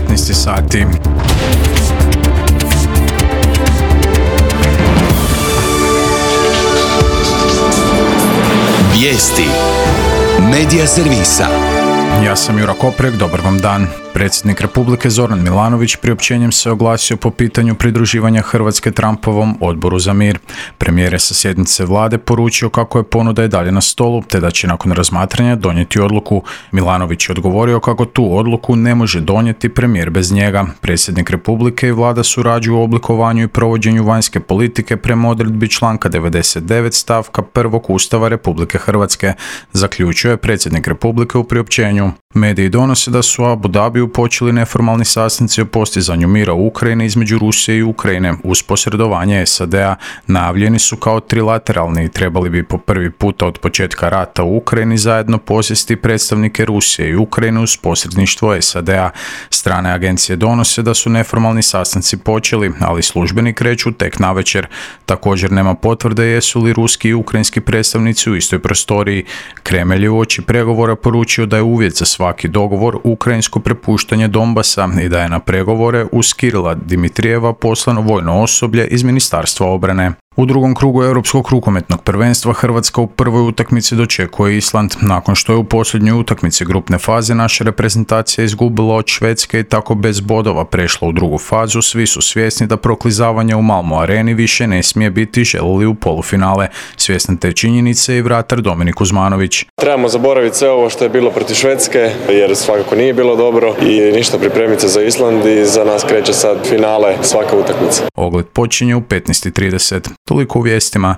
15 sati. Vijesti Medija servisa. Ja sam Jura Koprek, dobar vam dan. Predsjednik Republike Zoran Milanović priopćenjem se oglasio po pitanju pridruživanja Hrvatske Trumpovom odboru za mir. Premijer je sa sjednice vlade poručio kako je ponuda i dalje na stolu, te da će nakon razmatranja donijeti odluku. Milanović je odgovorio kako tu odluku ne može donijeti premijer bez njega. Predsjednik Republike i vlada surađuju u oblikovanju i provođenju vanjske politike prema odredbi članka 99 stavka 1. Ustava Republike Hrvatske, zaključio je predsjednik Republike u priopćenju. Mediji donose da su u Abu Dhabiju počeli neformalni sastanci o postizanju mira u Ukrajini između Rusije i Ukrajine uz posredovanje SAD-a. Najavljeni su kao trilateralni i trebali bi po prvi puta od početka rata u Ukrajini zajedno posjesti predstavnike Rusije i Ukrajine uz posredništvo SAD-a. Strane agencije donose da su neformalni sastanci počeli, ali službeni kreću tek navečer. Također nema potvrde jesu li ruski i ukrajinski predstavnici u istoj prostoriji. Kremelj je uoči pregovora poručio da je uvjet za svaki dogovor ukrajinsko prepuštanje Donbasa i da je na pregovore uz Kirila Dimitrijeva poslano vojno osoblje iz Ministarstva obrane. U drugom krugu Europskog rukometnog prvenstva Hrvatska u prvoj utakmici dočekuje Island. Nakon što je u posljednjoj utakmici grupne faze naša reprezentacija izgubila od Švedske i tako bez bodova prešla u drugu fazu, svi su svjesni da proklizavanje u Malmo areni više ne smije biti, želili u polufinale. Svjestan te činjenice i vratar Dominik Kuzmanović. Trebamo zaboraviti sve ovo što je bilo protiv Švedske, jer svakako nije bilo dobro i ništa, pripremiti se za Island i za nas kreće sad finale svaka utakmica. Ogled počinje u 15:30. Toliko u vijestima.